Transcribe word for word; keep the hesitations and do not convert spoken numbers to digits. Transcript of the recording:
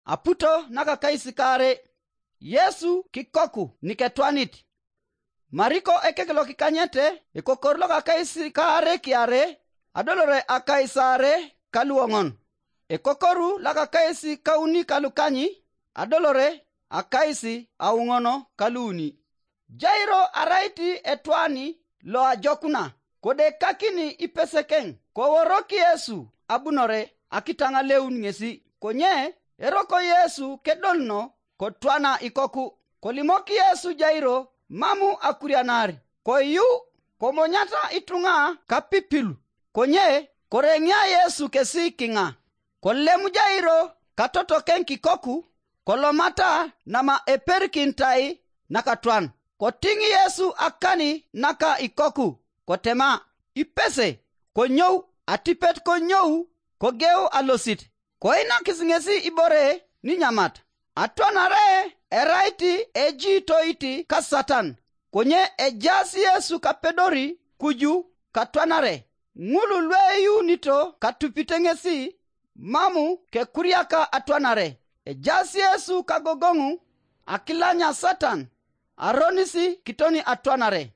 Aputo nakakais kaare. Yesu kikoku niketwanit. Mariko ekek lokikanyete, ekokoru lokakais kaare kiare, adolore akais aare kaluoŋon. Ekokoru lokakais kauni kalukanyi, adolore akais auŋono kaluuni. Jairo arait etwani loajokuna, kodekakini ipesekeŋ, koworok Yesu abunore akitaŋaleun ŋesi, konye eroko Yesu kedoluno kotwana ikoku. Kolimok Yesu Jairo mamu akurianar, koyu, komonyata ituŋa kapipilu, konye koreŋia Yesu kesi kiŋa. Kolem Jairo katotokeŋ kikoku, kolomata nama eperikintai nakatwan. Kotiŋ Yesu akani naka ikoku, kotema, ipese, konyou, atipet konyou, kogeu alosit. Koinakis ŋesi ibore ninyamat. Atwanare erait ejiitoit ka Satan, konye ejaas Yesu kapedori kuju katwanare. Ŋul lueyuunito katupite ŋesi, mamu kekuriaka atwanare. Ejaas Yesu kagogoŋu, akilanya Satan, aronis kitoni atwanare.